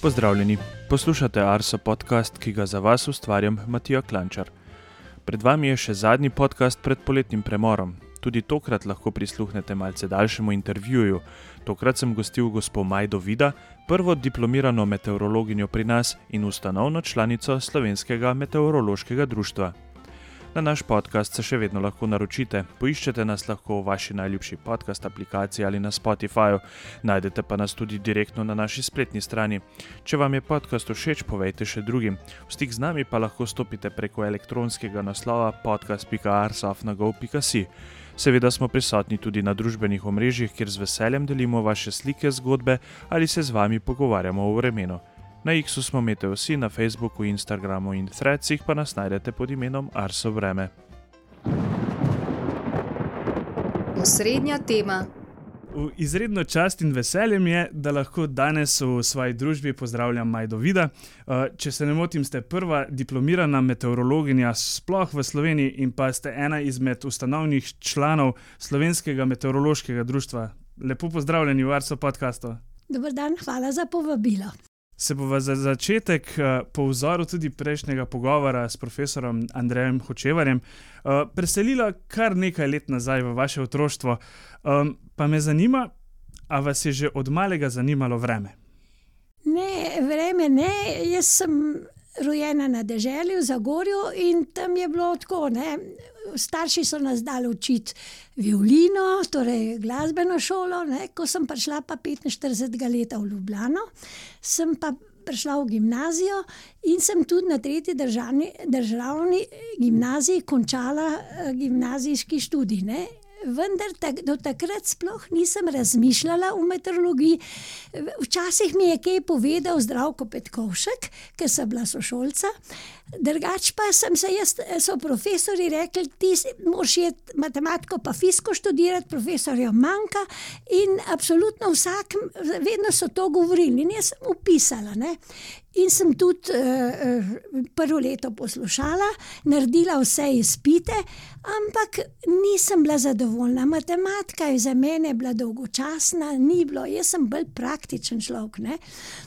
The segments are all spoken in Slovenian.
Pozdravljeni, poslušate Arso podcast, ki ga za vas ustvarjam Matija Klančar. Pred vami je še zadnji podcast pred poletnim premorom. Tudi tokrat lahko prisluhnete malce daljšemu intervjuju. Tokrat sem gostil gospo Majdo Vida, prvo diplomirano meteorologinjo pri nas in ustanovno članico Slovenskega meteorološkega društva. Na naš podcast se še vedno lahko naročite. Poiščete nas lahko v vaši najljubši podcast aplikaciji ali na Spotifyju. Najdete pa nas tudi direktno na naši spletni strani. Če vam je podcast všeč, povejte še drugim. V stik z nami pa lahko stopite preko elektronskega naslova podcast.arso@go.si. Seveda smo prisotni tudi na družbenih omrežjih, kjer z veseljem delimo vaše slike, zgodbe ali se z vami pogovarjamo o vremenu. Na X-u smo Meteosi, na Facebooku, Instagramu in Threadsih pa nas najdete pod imenom Arso Vreme. Osrednja tema. Izredno čast in veseljem je, da lahko danes v svoji družbi pozdravljam Majdo Vida. Če se ne motim, ste prva diplomirana meteorologinja sploh v Sloveniji in pa ste ena izmed ustanovnih članov Slovenskega meteorološkega društva. Lepo pozdravljeni v Arso podcastu. Dober dan, hvala za povabilo. Se bova za začetek po vzoru tudi prejšnjega pogovora s profesorom Andrejem Hočevarjem preselila kar nekaj let nazaj v vaše otroštvo. Pa me zanima, a vas je že od malega zanimalo vreme? Ne, vreme ne. Jaz sem rojena na deželi v Zagorju in tam je bilo tako, ne. Starši so nas dali učiti violino, torej glasbeno šolo, ne. Ko sem prišla pa 45 leta v Ljubljano, sem pa prišla v gimnazijo in sem tudi na 3. državni gimnaziji končala gimnazijski študij, ne. Vendar do takrat sploh nisem razmišljala o meteorologiji. Včasih mi je kaj povedal Zdravko Petkovšek, ker sem bila sošolca. Drugače pa so profesori rekli, ti moraš iti matematiko pa fiziko študirati, profesorja manjka in absolutno vedno so to govorili in jaz sem upisala, ne. In sem tudi prvo leto poslušala, naredila vse izpite, ampak nisem bila zadovoljna. Matematika je za mene bila dolgočasna, ni bilo, jaz sem bolj praktičen človek, ne.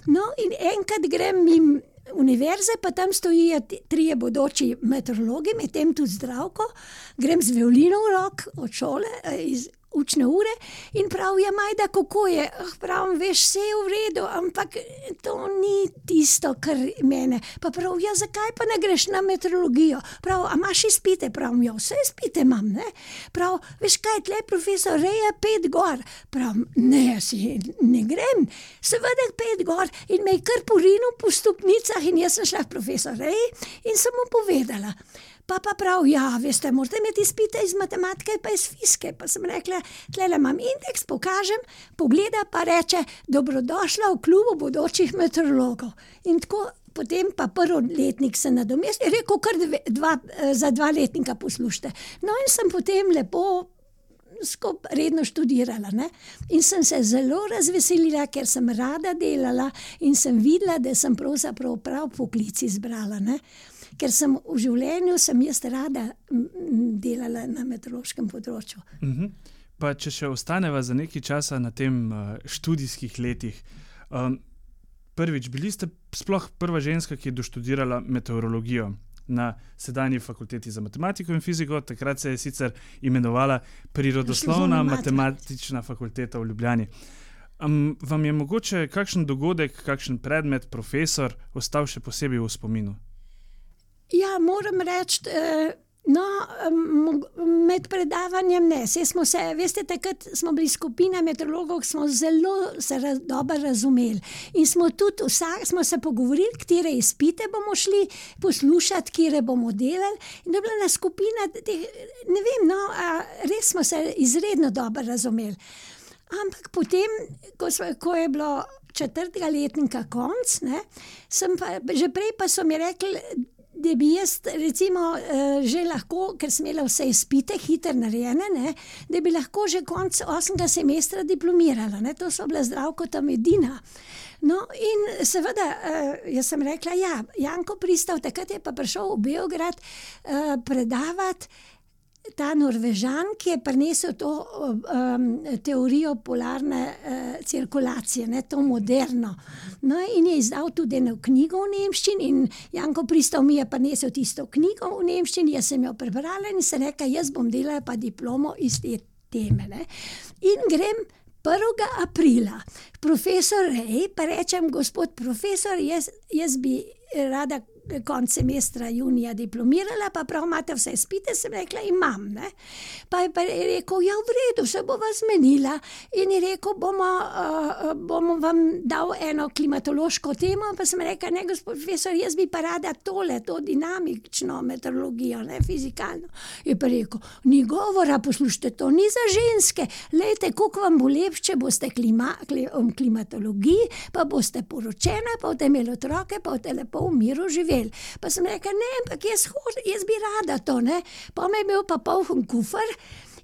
No in enkrat grem mimo univerze, pa tam stojijo 3 bodoči meteorologi, medtem tudi Zdravko, grem z violino v rok od šole, iz učne ure in pravijo, Majda, kako je? Pravim, veš, vse je v redu, ampak to ni tisto, kar mene. Pa pravijo, zakaj pa ne greš na meteorologijo? Prav, a imaš izpite? Pravim, ja, vse izpite imam, ne. Prav, veš kaj, tle profesor reje 5 gor. Pravim, ne, jaz ne grem. Seveda 5 gor in me je kar porinil po stopnicah in jaz sem šla k profesor reji in sem mu povedala. Pa prav, ja, veste, morate imeti izpite iz matematike pa iz fizike. Pa sem rekla, tlele imam indeks, pokažem, pogleda pa reče, dobrodošla v klubu bodočih meteorologov. In tako potem pa prvoletnik se nadomesti, rekel, kar za 2 letnika poslušajte. No in sem potem lepo redno študirala, ne. In sem se zelo razveselila, ker sem rada delala in sem videla, da sem pravzaprav prav poklic izbrala, ne. Ker sem v življenju jaz rada delala na meteorološkem področju. Pa če še ostaneva za nekaj časa na tem študijskih letih. Prvič, bili ste sploh prva ženska, ki je doštudirala meteorologijo na sedanji fakulteti za matematiko in fiziko, takrat se je sicer imenovala Prirodoslovna matematična fakulteta v Ljubljani. Vam je mogoče kakšen dogodek, kakšen predmet, profesor ostal še posebej v spominu? Ja, moram reči, med predavanjem ne. Veste, takrat smo bili skupina meteorologov, smo zelo dobro razumeli. In smo se pogovorili, katere izpite bomo šli poslušati, katere bomo delali. In je bila ena skupina, ne vem, res smo se izredno dobro razumeli. Ampak potem, ko je bilo 4. letnika konc, ne, že prej pa so mi rekli, da bi jaz recimo že lahko, ker sem imela vse izpite hitro narejene, ne, da bi lahko že konec 8. semestra diplomirala, ne, to so bila Zdravko tam edina. No in seveda, jaz sem rekla, ja, Janko Pristav, takrat je pa prišel v Beograd predavati ta Norvežan, ki je prinesel to teorijo polarne cirkulacije, ne, to moderno. No, in je izdal tudi eno knjigo v nemščini in Janko Pristov mi je prinesel tisto knjigo v nemščini, jaz sem jo prebrala in sem rekla, jaz bom delala pa diplomo iz te teme. Ne. In grem 1. aprila. Profesor Rej, pa rečem, gospod profesor, jaz bi rada konec semestra junija diplomirala, pa prav imate vse izpite, sem rekla, imam. Ne? Pa je rekel, ja, v redu, se bova zmenila. In je rekel, bomo vam dal eno klimatološko temo, pa sem rekla, ne, gospod profesor, jaz bi pa rada to dinamično meteorologijo, ne, fizikalno. Je pa rekel, ni govora, poslušajte, to ni za ženske. Lejte, koliko vam bo lepše, če boste klimatologiji, pa boste poročena, pa boste imeli otroke, pa boste lepo v miru živeli. Pa sem rekla, ne, ampak jaz bi rada to, ne. Pa me je imel pa poln kufer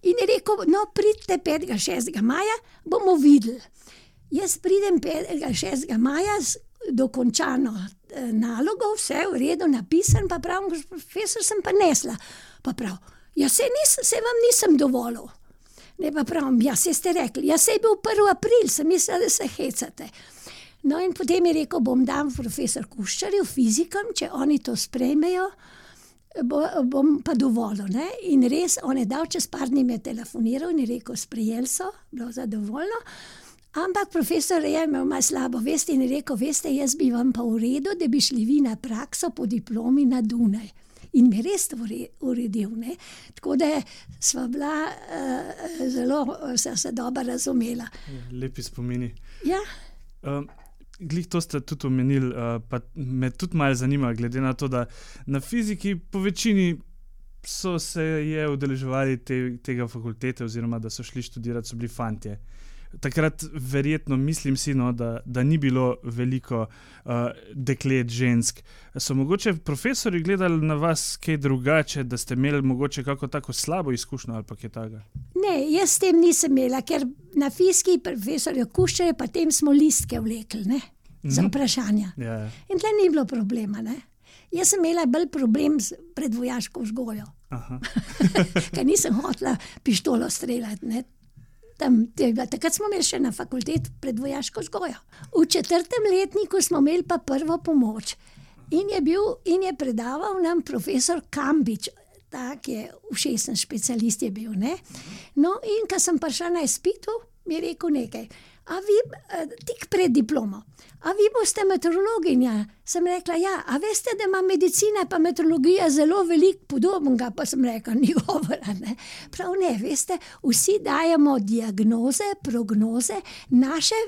in je rekel, no, pridite 5. 6. maja, bomo videli. Jaz pridem 5. 6. maja dokončano nalogo, vse v redu napisan, pa pravim, profesor, sem pa nesla. Pa prav, ja, se vam nisem dovolil. Ne, pa pravim, ja, se ste rekli, ja, se je bil 1. april, sem mislila, da se hecate. No, in potem je rekel, bom dal profesor Kuščarju, fizikom, če oni to sprejmejo, bom pa dovolil. Ne? In res, on je dal, čez par dni me telefoniral in je rekel, sprejeli so, bilo zadovoljno. Ampak profesor je imel malo slabo vest in je rekel, veste, jaz bi vam pa v redu, da bi šli vi na prakso po diplomi na Dunaj. In me res uredil. Ne? Tako da sva bila zelo, se dobro razumela. Lepi spomini. Ja. Glih to ste tudi omenili, pa me tudi malo zanima, glede na to, da na fiziki po večini so se je udeleževali tega fakultete oziroma da so šli študirati, so bili fantje. Takrat verjetno mislim si, no, da ni bilo veliko deklet, žensk. So mogoče profesori gledali na vas kaj drugače, da ste imeli mogoče kako tako slabo izkušnjo ali pa kaj takega? Ne, jaz s tem nisem imela, ker na fiziki profesorju Kuščarju pa tem smo listke vlekli, ne, za vprašanja. Ja. In tle ni bilo problema, ne. Jaz sem imela bolj problem s predvojaško vzgojo. Ker nisem hotela pištolo streljati, ne. Takrat smo imeli še na fakulteti predvojaško vzgojo. V 4. letniku smo imeli pa prvo pomoč. In je predaval nam profesor Kambič, tak je ušesen specialist je bil, ne. No, in ko sem prišla na izpitu, mi je rekel nekaj. A vi, tik pred diplomo, a vi boste meteorologinja? Sem rekla, ja, a veste, da ima medicina pa meteorologija zelo veliko podobnega, pa sem rekla, ni govora, ne. Prav ne, veste, vsi dajemo diagnoze, prognoze, naše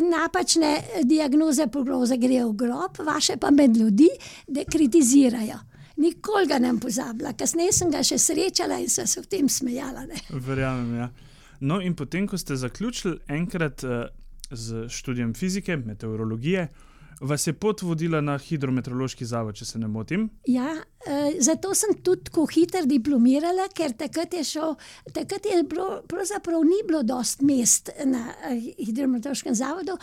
napačne diagnoze, prognoze grejo v grob, vaše pa med ljudi, da kritizirajo. Nikoli ga nem pozabila, kasneje sem ga še srečala in sem se v tem smejala, ne. Verjamem, ja. No, in potem, ko ste zaključili enkrat z študijem fizike, meteorologije, vas je pot vodila na hidrometeorološki zavod, če se ne motim? Ja, zato sem tudi tako hitro diplomirala, ker takrat je pravzaprav ni bilo dosti mest na hidrometeorološkem zavodu.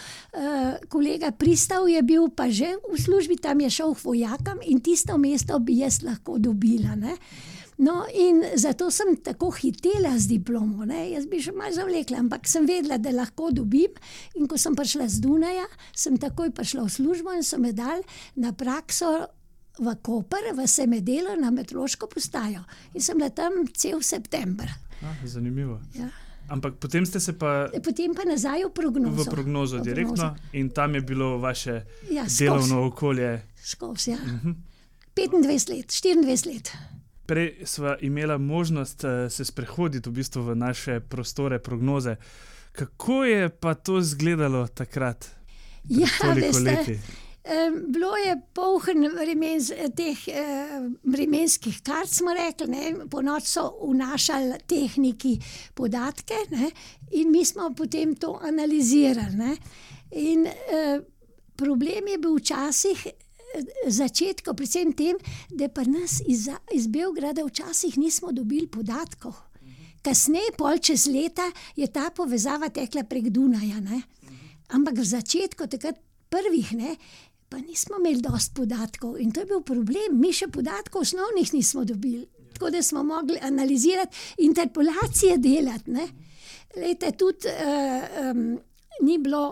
Kolega Pristav je bil pa že v službi, tam je šel k vojakom in tisto mesto bi jaz lahko dobila, ne. No, in zato sem tako hitela z diplomo, ne. Jaz bi še malo zavlekla, ampak sem vedela, da lahko dobim. In ko sem prišla z Dunaja, sem takoj prišla v službo in so me dali na prakso v Koper, v Semedelo na meteorološko postajo. In sem bila tam cel september. Zanimivo. Ja. Ampak potem ste se pa... Potem pa nazaj v prognozo. V prognozo direktno in tam je bilo vaše delovno okolje. Skozi, ja. 25 let, 24 let. Prej sva imela možnost se sprehoditi v bistvu v naše prostore prognoze. Kako je pa to izgledalo takrat? Ja, toliko leti? Bilo je poln teh vremenskih kart, smo rekli, ne. Po noč so vnašali tehniki podatke, ne. In mi smo potem to analizirali, ne. In problem je bil včasih začetku, predvsem tem, da pa nas iz Beograda včasih nismo dobili podatkov. Kasneje, pol čez leta, je ta povezava tekla prek Dunaja, ne. Ampak v začetku, takrat prvih, ne, pa nismo imeli dosti podatkov in to je bil problem. Mi še podatkov osnovnih nismo dobili. tako da smo mogli analizirati, interpolacije delati, ne. Lejte, tudi ni bilo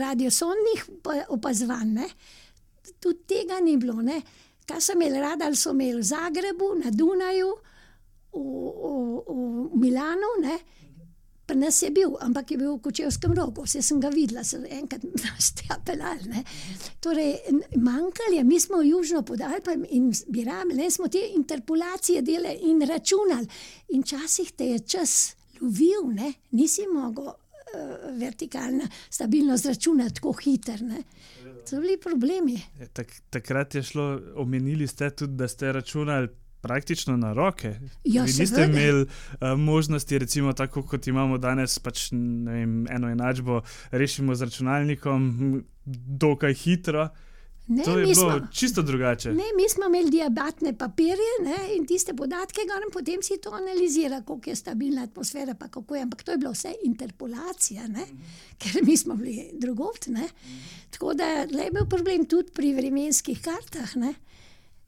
radiosondnih opazovanj, ne. Tudi tega ni bilo, ne. Kaj so imeli radar, so imeli v Zagrebu, na Dunaju, v Milanu, ne. Pri nas je bil, ampak je bil v Kočevskem Rogu, vse sem ga videla, sem enkrat tja pelali, ne. Torej, manjkalo je, mi smo južno pod Alpami in bi rabili, smo te interpolacije delali in računali. In včasih te je čas lovil, ne, nisi mogel vertikalna stabilnost računati tako hiter, ne. To so bili problemi. Takrat je šlo, omenili ste tudi, da ste računali praktično na roke. Ja, vi niste imeli možnosti, recimo tako kot imamo danes, pač ne vem, eno enačbo rešimo z računalnikom dokaj hitro. Ne, to je bilo čisto drugače. Ne, mi smo imeli diabatne papirje, ne, in tiste podatke in potem si to analizira, koliko je stabilna atmosfera, pa kako je, ampak to je bilo vse interpolacija, ne, ker mi smo bili drugod, ne. Tako da je bil problem tudi pri vremenskih kartah, ne.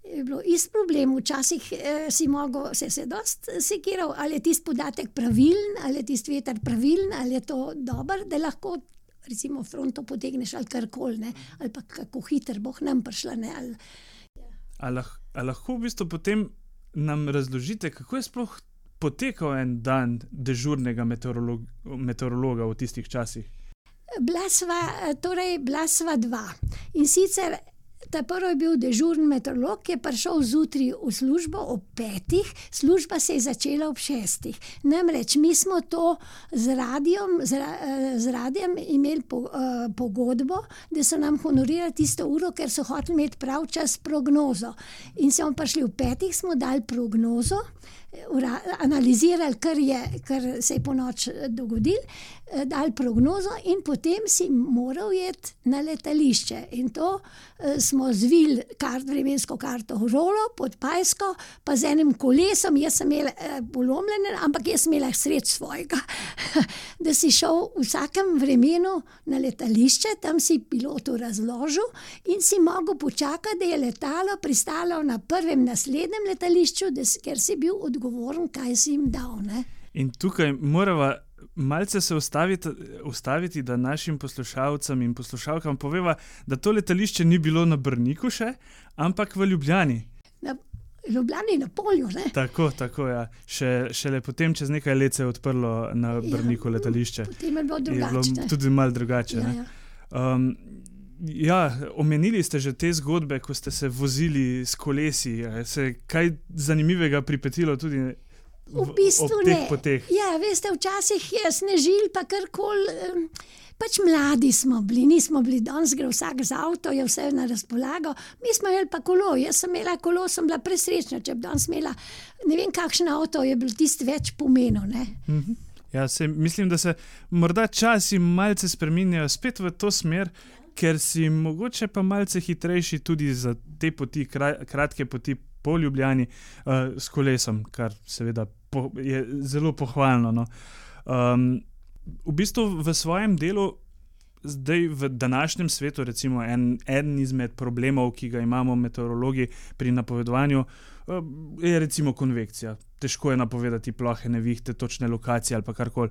Je bilo isto problem, včasih si mogel, se dost sekiral, ali je tisti podatek pravilen, ali je tisti veter pravilen, ali je to dobro, da lahko recimo fronto potegneš ali karkoli, ne, ali pa kako hiter boh nam prišla, ne, ali... A lahko v bistvu potem nam razložite, kako je sploh potekal en dan dežurnega meteorologa v tistih časih? Bila sva dva. In sicer ta prvi je bil dežurni meteorolog, ki je prišel zjutraj v službo ob 5, služba se je začela ob 6. Namreč mi smo to z radijem imeli pogodbo, da so nam honorirali tisto uro, ker so hoteli imeti prav čas prognozo. In smo prišli ob 5, smo dali prognozo, analizirali, kar se je po noč dogodilo, dali prognozo in potem si moral iti na letališče. In to smo zvili vremensko karto v rolo, pod pajsko, pa z enim kolesom, jaz sem imela polomljene, ampak jaz sem imela sredi svojega, da si šel v vsakem vremenu na letališče, tam si pilotu razložil in si mogel počakati, da je letalo pristalo na prvem naslednjem letališču, ker si bil odgovoren, kaj si jim dal, ne. In tukaj morava malce se ustaviti, da našim poslušalcem in poslušalkam poveva, da to letališče ni bilo na Brniku še, ampak v Ljubljani. Na Ljubljani, na polju, ne? Tako, ja. Šele potem čez nekaj let se je odprlo na Brniku letališče. Potem je bilo drugače. Je bilo tudi malo drugače, ne? Omenili ste že te zgodbe, ko ste se vozili s kolesi. Se je kaj zanimivega pripetilo tudi v bistvu ob teh poteh? Ja, veste, včasih je snežil, pa karkoli, pač mladi smo bili, nismo bili, danes gre vsak z avto, je vse na razpolago, mi smo imeli pa kolo, jaz sem imela kolo, sem bila presrečna, če bi danes imela, ne vem kakšen avto, je bil tisti več pomenil, ne. Ja, mislim, da se morda časi malce spreminjajo spet v to smer, ker si mogoče pa malce hitrejši tudi za te poti, kratke poti po Ljubljani s kolesom, kar seveda je zelo pohvalno, no. V bistvu v svojem delu, zdaj v današnjem svetu, recimo en izmed problemov, ki ga imamo meteorologi pri napovedovanju, je recimo konvekcija. Težko je napovedati plohe nevihte, točne lokacije ali pa karkoli.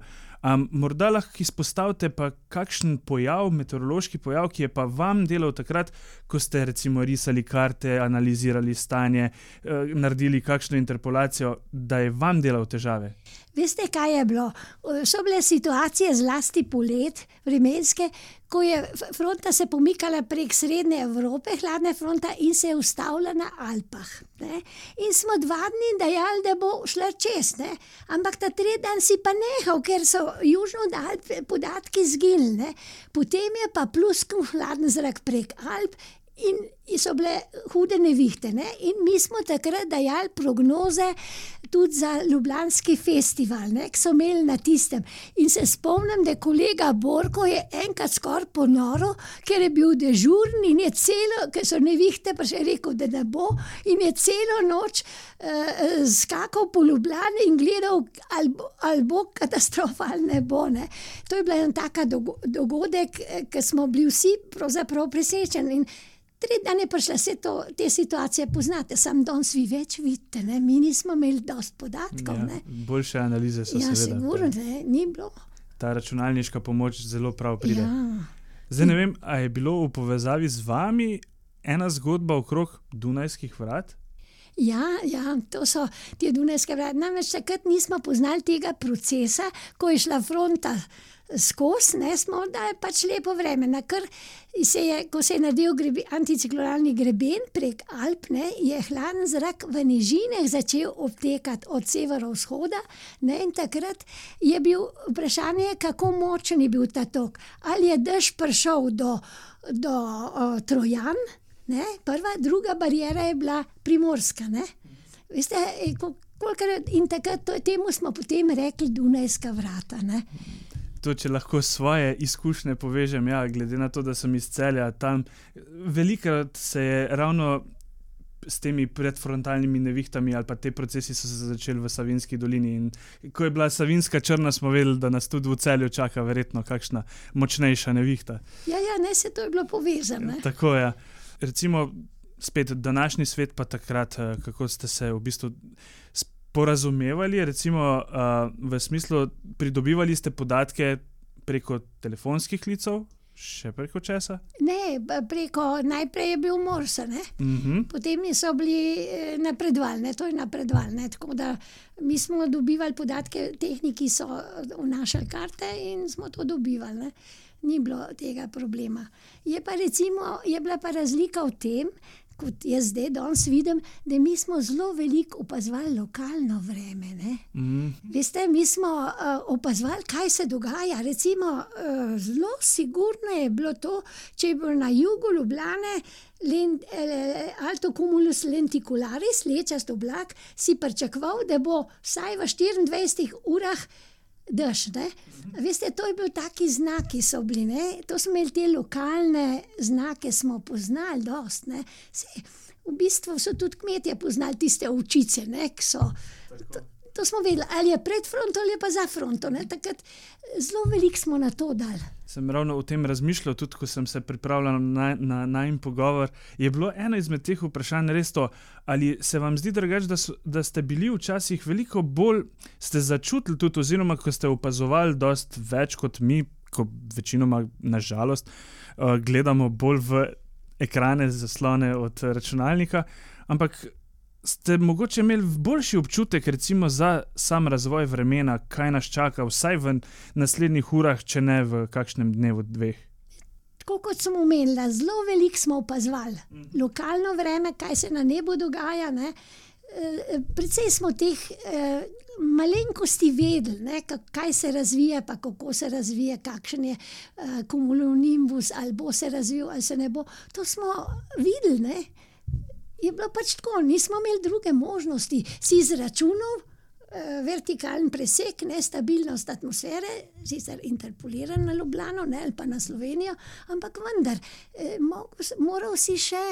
Morda lahko izpostavite pa kakšen pojav, meteorološki pojav, ki je pa vam delal takrat, ko ste recimo risali karte, analizirali stanje, naredili kakšno interpolacijo, da je vam delal težave? Veste, kaj je bilo? So bile situacije zlasti polet vremenske, ko je fronta se pomikala prek srednje Evrope, hladna fronta, in se je ustavila na Alpah, ne. In smo 2 dni dajali, da bo šla čez, ne. Ampak ta 3 dan si pa nehal, ker so južno od Alp podatki zginili, ne. Potem je pa pluskal hladen zrak prek Alp in so bile hude nevihte, ne. In mi smo takrat dajali prognoze tudi za Ljubljanski festival, ne, ki so imeli na tistem. In se spomnim, da kolega Borko je enkrat skoraj ponoril, ker je bil dežurn in je ker so nevihte, pa še rekel, da ne bo, in je celo noč skakal po Ljubljani in gledal, ali bo katastrofa ali ne bo, ne. To je bila ena taka dogodek, ki smo bili vsi pravzaprav presrečeni. In tretji dan je prišla, te situacije poznate, samo danes vi več vidite, ne? Mi nismo imeli dosti podatkov. Ne? Boljše analize so seveda. Sigurno, ni bilo. Ta računalniška pomoč zelo prav pride. Ja. Zdaj ne vem, a je bilo v povezavi z vami ena zgodba okrog Dunajskih vrat? Ja, to so te Dunajske vrata. Namreč takrat nismo poznali tega procesa, ko je šla fronta skozi, smo dali pač lepo vreme. Ko se je naredil anticiklonalni greben prek Alp, je hladen zrak v nižinah začel obtekati od severovzhoda, in takrat je bil vprašanje, kako močen je bil ta tok. Ali je dež prišel do Trojan, prva, druga bariera je bila Primorska. Veste, in takrat temu smo potem rekli Dunajska vrata. To, če lahko svoje izkušnje povežem, glede na to, da sem iz Celja, tam velikokrat se je ravno s temi predfrontalnimi nevihtami ali pa te procesi so se začeli v Savinjski dolini in ko je bila Savinjska črna, smo vedeli, da nas tudi v Celju čaka verjetno kakšna močnejša nevihta. Se to je bilo povezano. Tako je. Recimo spet današnji svet pa takrat, kako ste se v bistvu porazumevali, recimo v smislu pridobivali ste podatke preko telefonskih klicev, še preko česa? Ne, najprej je bil Morse, Potem so bili napredvalne, to je napredvalne, tako da mi smo dobivali podatke, tehniki so vnašali karte in smo to dobivali, Ni bilo tega problema. Je bila pa razlika v tem, kot jaz zdaj danes vidim, da mi smo zelo veliko opazovali lokalno vreme. Veste, mi smo opazovali, kaj se dogaja. Recimo, zelo sigurno je bilo to, če je bilo na jugu Ljubljane alto cumulus lenticularis, lečast oblak, si pričakoval, da bo vsaj v 24 urah dež. Veste, to je bil taki znaki so bili, To smo imeli te lokalne znake, smo poznali dost, V bistvu so tudi kmetje poznali tiste ovčice, ki so. To smo vedeli, ali je pred fronto ali je pa za fronto, Takrat zelo veliko smo na to dali. Sem ravno o tem razmišljal, tudi ko sem se pripravljal na najin pogovor. Je bilo eno izmed teh vprašanj res to, ali se vam zdi drugače, da ste bili včasih veliko bolj, ste začutili tudi, oziroma ko ste opazovali dosti več kot mi, ko večinoma, nažalost, gledamo bolj v ekrane, zaslone od računalnika, ampak ste mogoče imeli boljši občutek recimo za sam razvoj vremena, kaj nas čaka, vsaj v naslednjih urah, če ne v kakšnem dnevu, dveh? Tako kot sem omenila, zelo veliko smo opazovali. Lokalno vreme, kaj se na nebu dogaja, Precej smo teh malenkosti vedeli, kaj se razvija, pa kako se razvija, kakšen je cumulonimbus, ali bo se razvil, ali se ne bo. To smo videli, Je bilo pač tako, nismo imeli druge možnosti. Si izračunal vertikalen presek, stabilnost atmosfere, sicer interpoliran na Ljubljano, ali pa na Slovenijo, ampak vendar, moral si še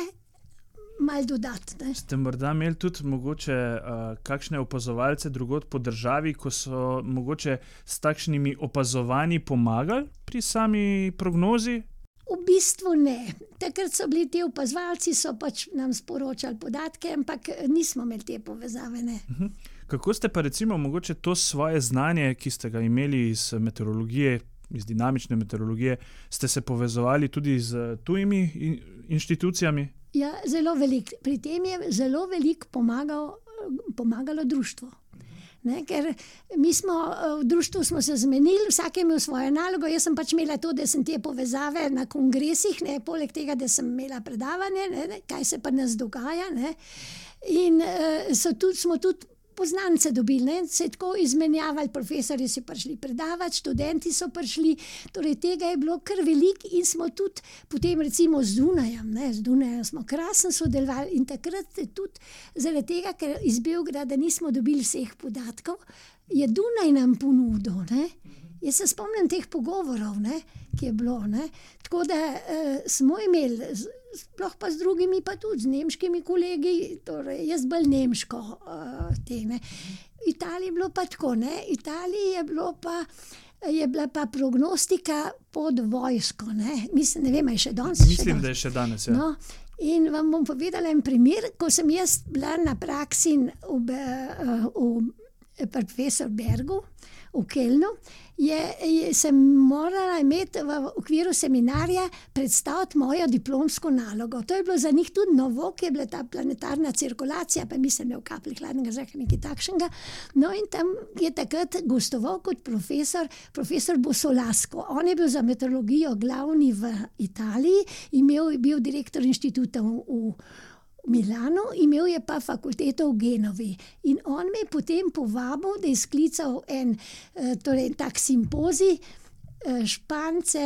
malo dodati. Ste morda imeli tudi mogoče kakšne opazovalce drugod po državi, ko so mogoče s takšnimi opazovanji pomagali pri sami prognozi? V bistvu ne. Takrat so bili ti opazovalci, so pač nam sporočali podatke, ampak nismo imeli te povezave. Kako ste pa recimo mogoče to svoje znanje, ki ste ga imeli iz meteorologije, iz dinamične meteorologije, ste se povezovali tudi z tujimi inštitucijami? Ja, zelo veliko. Pri tem je zelo veliko pomagalo društvo. Ker mi smo v društvu smo se zmenili, vsak je imel svojo nalogo, jaz sem pač imela to, da sem te povezave na kongresih, poleg tega, da sem imela predavanje, kaj se pa nas dogaja. In smo tudi poznance dobili, se je tako izmenjavali, profesorji so prišli predavati, študenti so prišli, torej tega je bilo kar veliko in smo tudi potem recimo z Dunajem smo krasno sodelovali in takrat tudi zaradi tega, ker iz Beograda nismo dobili vseh podatkov, je Dunaj nam ponudil. Jaz se spomnim teh pogovorov, ki je bilo. Tako da smo imeli, sploh pa z drugimi, pa tudi z nemškimi kolegi, torej jaz bolj nemško. Italiji je bilo pa tako, Italiji je bila pa prognostika pod vojsko. Mislim, ne vem, je še danes. Mislim, da je še danes, ja. In vam bom povedala en primer, ko sem jaz bila na praksi pri profesor Bergu v Kelnu, sem morala imeti v okviru seminarja predstaviti mojo diplomsko nalogo. To je bilo za njih tudi novo, ki je bila ta planetarna cirkulacija, pa mislim, da je v kapli hladnega zraka nekaj takšnega. No in tam je takrat gostoval kot profesor Bosolasko. On je bil za meteorologijo glavni v Italiji, je bil direktor inštituta v Milanu, imel je pa fakulteto v Genovi. In on me je potem povabil, da je sklical tak simpozij, Špance,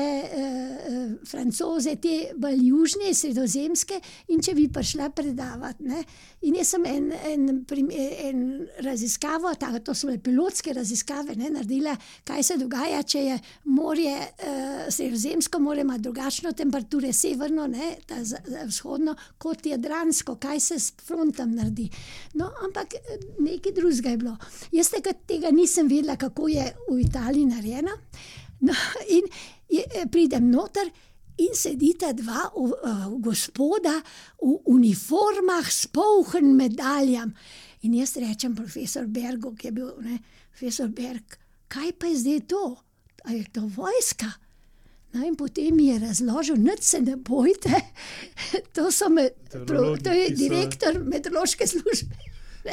Francoze, te bolj južne, sredozemske, in če bi prišla predavati. Ne. In jaz sem en raziskavo, to so bile pilotske raziskave, naredila, kaj se dogaja, če je morje, sredozemsko morje ima drugačno temperature, severno, ta vzhodno, kot jadransko, kaj se s frontom naredi. No, ampak nekaj drugega je bilo. Jaz tega nisem vedela, kako je v Italiji narejeno. No, in pridem noter in sedita dva gospoda v uniformah s polhen medaljam. In jaz rečem profesor Bergu, ki je bil, profesor Berg, kaj pa je zdaj to? A je to vojska? No, in potem mi je razložil, nič se ne bojte, to je direktor meteorološke službe.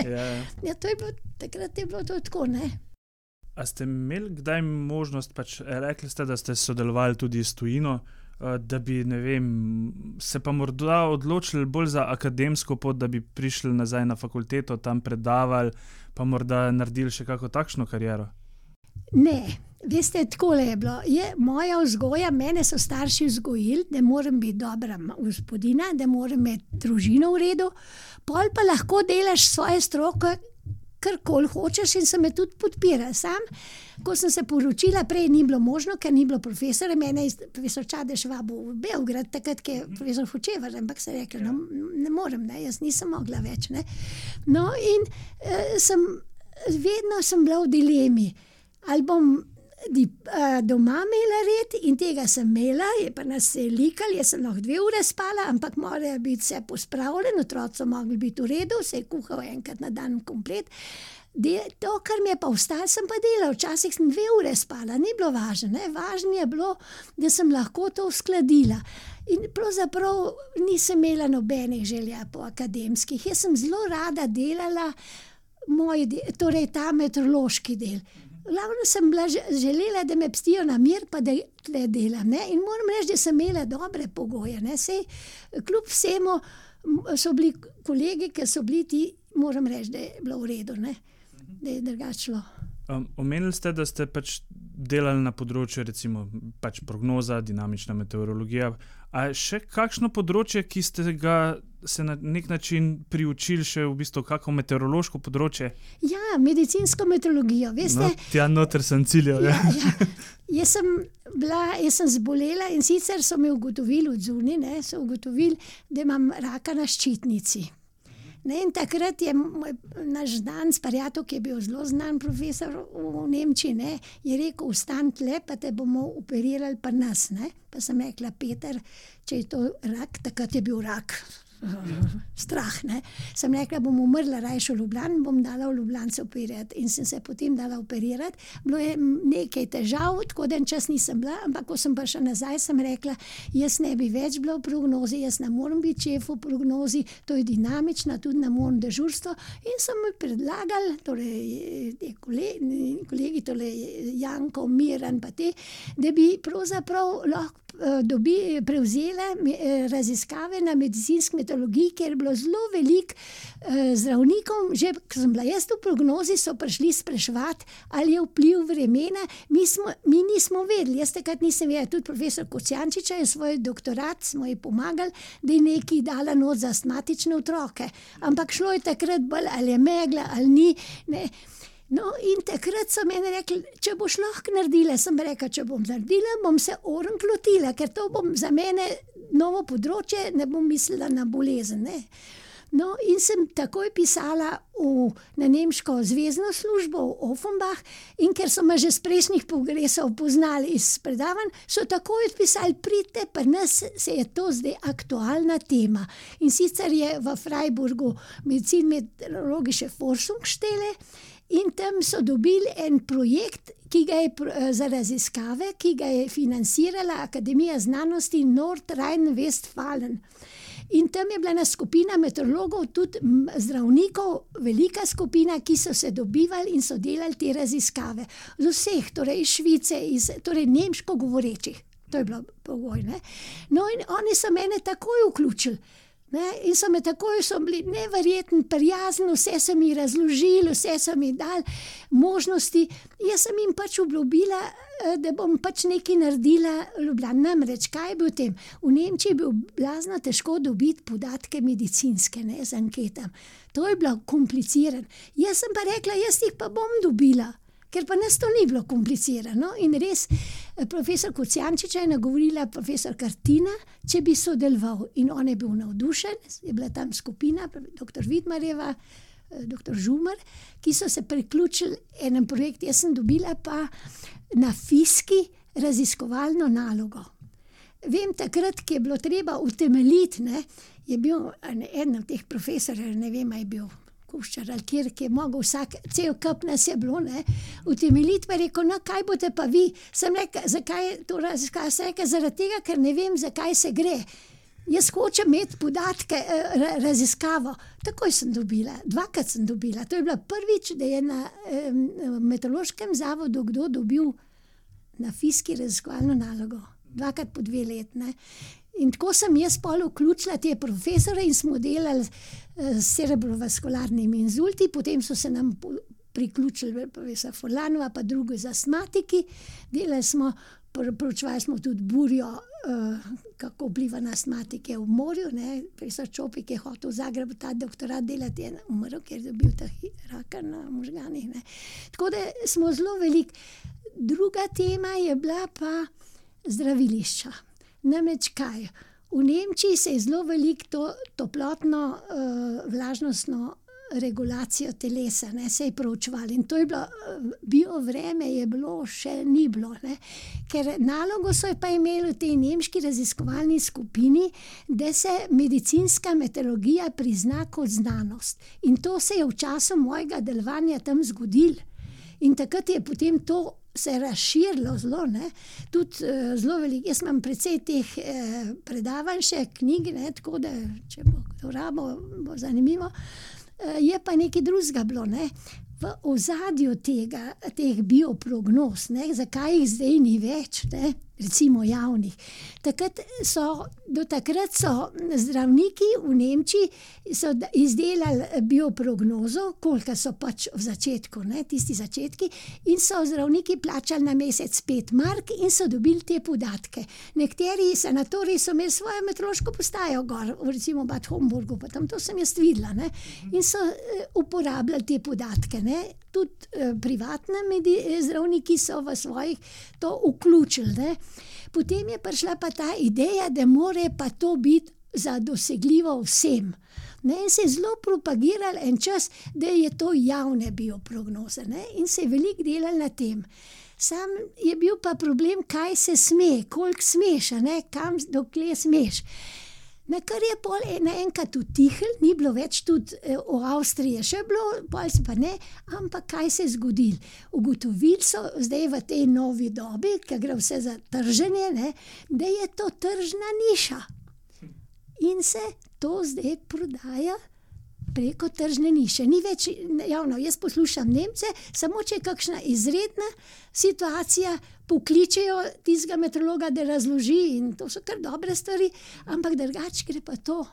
Ja, takrat je bilo to tako, ne. A ste imeli kdaj možnost, rekli ste, da ste sodelovali tudi s tujino, da bi, se pa morda odločili bolj za akademsko pot, da bi prišli nazaj na fakulteto, tam predavali, pa morda naredili še kako takšno kariero? Ne, veste, takole je bilo. Moja vzgoja, mene so starši vzgojili, da moram biti dobra gospodina, da moram imeti družino v redu, pol pa lahko delaš svoje stroke, karkoli hočeš, in se me tudi podpira. Sam, ko sem se poročila, prej ni bilo možno, ker ni bilo profesora, mene je profesor Čadež vabil v Beograd, takrat, ki je profesor Hočevar, ampak se rekla, no, ne morem, jaz nisem mogla več. No, in vedno sem bila v dilemi, ali bom doma imela red, in tega sem imela, je pa nas se likali, jaz sem lahko 2 ure spala, ampak mora biti vse pospravljeno, otroci so mogli biti v redu, se je kuhal enkrat na dan komplet. To, kar mi je pa ostalo, sem pa delala, včasih sem 2 ure spala, ni bilo važno, važno je bilo, da sem lahko to uskladila. In pravzaprav nisem imela nobenih želja po akademskih, jaz sem zelo rada delala torej ta meteorološki del. Glavno sem bila želela, da me pustijo na mir, pa da tle delam. In moram reči, da sem imela dobre pogoje. Sej, kljub vsemu so bili kolegi, ki so bili ti, moram reči, da je bilo v redu, da je drugačilo. Omenili ste, da ste delali na področju, recimo, prognoza, dinamična meteorologija. A še kakšno področje, ki ste ga se na nek način priučili, še v bistvu kako meteorološko področje? Ja, medicinsko meteorologijo, veste. No, tja noter sem ciljal. Ja. Jaz sem zbolela, in sicer so me ugotovili od zunaj, so ugotovili, da imam raka na ščitnici. In takrat je naš znan Sparjatov, ki je bil zelo znan profesor v Nemčiji, je rekel, vstan tle, pa te bomo operirali pri nas. Pa sem rekla, Peter, če je to rak, takrat je bil rak. Strah, Sem rekla, bom umrla rajši v Ljubljani, bom dala v Ljubljance operirati, in sem se potem dala operirati. Bilo je nekaj težav, tako da en čas nisem bila, ampak ko sem prišla nazaj, sem rekla, jaz ne bi več bila v prognozi, jaz ne morem biti šef v prognozi, to je dinamična, tudi ne morem dežurstvo, in sem mi predlagali, torej kolegi, torej Janko, Miran, pa te, da bi pravzaprav lahko prevzela raziskave na medicinski meteorologiji, ker je bilo zelo veliko zdravnikov, že ko sem bila jaz v prognozi, so prišli spraševati, ali je vpliv vremena. Mi nismo vedeli, jaz takrat nisem vedela, tudi profesor Kocijančiča je svoj doktorat, smo ji pomagali, da je nekaj dala not za astmatične otroke. Ampak šlo je takrat bolj, ali je megla, ali ni, No, in takrat so meni rekli, če boš lahko naredila, sem rekla, če bom naredila, bom se orenk lotila, ker to bom za mene novo področje, ne bom mislila na bolezen. No, in sem takoj pisala na nemško zvezno službo v Offenbach, in ker so me že z prejšnjih kongresov poznali iz predavanj, so takoj odpisali, pridite, pri nas se je to zdaj aktualna tema. In sicer je v Freiburgu Medizin-meteorologische Forschungsstelle in tam so dobili en projekt, ki ga je za raziskave, ki ga je financirala Akademija znanosti Nordrhein-Westfalen. In tam je bila ena skupina meteorologov, tudi zdravnikov, velika skupina, ki so se dobivali in so delali te raziskave. Z vseh, torej iz Švice, torej nemško govorečih. To je bilo pogoj, ne. No in oni so mene takoj vključili. Ne, in so bili neverjetno prijazni, vse so mi razložili, vse so mi dali možnosti. Jaz sem jim pač obljubila, da bom pač nekaj naredila v Ljubljani. Namreč, kaj je bil v tem? V Nemčiji je bil blazno težko dobiti podatke medicinske, ne, z anketam. To je bilo komplicirano. Jaz sem pa rekla, jaz jih pa bom dobila, ker pa nas to ni bilo komplicirano. In res, profesor Kocijančiča je nagovorila profesor Kartina, če bi sodeloval. In on je bil navdušen, je bila tam skupina, dr. Vidmarjeva, dr. Žumar, ki so se priključili enem projektu. Jaz sem dobila pa na fiski raziskovalno nalogo. Vem, takrat, ki je bilo treba utemeljiti, ne, je bil eden od teh profesorjev, ne vem, je bil Kuščar ali kjer, ki je mogel cel kup nas je bilo, ne, utemeljiti, pa je rekel, no, kaj boste pa vi? Sem rekla, zakaj to raziskava? Sem rekla, zaradi tega, ker ne vem, zakaj se gre. Jaz hočem imeti podatke, raziskavo. Takoj sem dobila, 2krat sem dobila. To je bila prvič, da je na meteorološkem zavodu kdo dobil na fiski raziskovalno nalogo. 2krat po 2 let, ne. In tako sem jaz pol vključila te profesore in smo delali s cerebrovaskularnimi inzulti, potem so se nam priključili profesor Furlanova, pa drugi z astmatiki. Delali smo, proučevali smo tudi burjo, kako vpliva na astmatike v morju, ne. Profesor Čopik je hotel v Zagrebu ta doktorat delati, je umrl, ker je dobil ta raka na možganih, ne. Tako da smo zelo veliko. Druga tema je bila pa zdravilišča. Namreč kaj? V Nemčiji se je zelo veliko toplotno, vlažnostno regulacijo telesa, ne, se je proučevali. In to je bilo, biovreme je bilo, še ni bilo, ne. Ker nalogo so pa imeli v tej nemški raziskovalni skupini, da se medicinska meteorologija prizna kot znanost. In to se je v času mojega delovanja tam zgodilo. In takrat je potem to se razširilo zelo, ne, tudi zelo veliko. Jaz imam precej teh predavanj še, knjig, ne, tako da, če bo kdo rabo, bo zanimivo. Je pa nekaj drugega bilo, ne. V ozadju teh bioprognoz, ne, zakaj jih zdaj ni več, ne, recimo javnih. Do takrat so zdravniki v Nemčiji so izdelali bioprognozo, koliko so pač v začetku, ne, tisti začetki, in so zdravniki plačali na mesec 5 mark in so dobili te podatke. Nekateri sanatoriji so imeli svojo meteorološko postajo gor, recimo v Bad Homburgu, pa tam to sem jaz videla, ne, in so uporabljali te podatke, ne. Tudi privatni zdravniki so v svojih to vključili, ne. Potem je prišla pa ta ideja, da more pa to biti za dosegljivo vsem. Ne, in se je zelo propagiral en čas, da je to javne bioprognoze, ne, in se je veliko delalo na tem. Sam je bil pa problem, kaj se sme, koliko smeš, ne, kam, dokler smeš. Na kar je pol naenkrat utihnilo, ni bilo več, tudi v Avstriji še bilo, pol pa ne, ampak kaj se je zgodilo? Ugotovili so zdaj v tej novi dobi, ker gre vse za trženje, ne, da je to tržna niša. In se to zdaj prodaja preko tržne niše. Ni več javno. Jaz poslušam Nemce, samo če je kakšna izredna situacija, pokličejo tistega meteorologa, da razloži, in to so kar dobre stvari, ampak drugače gre pa to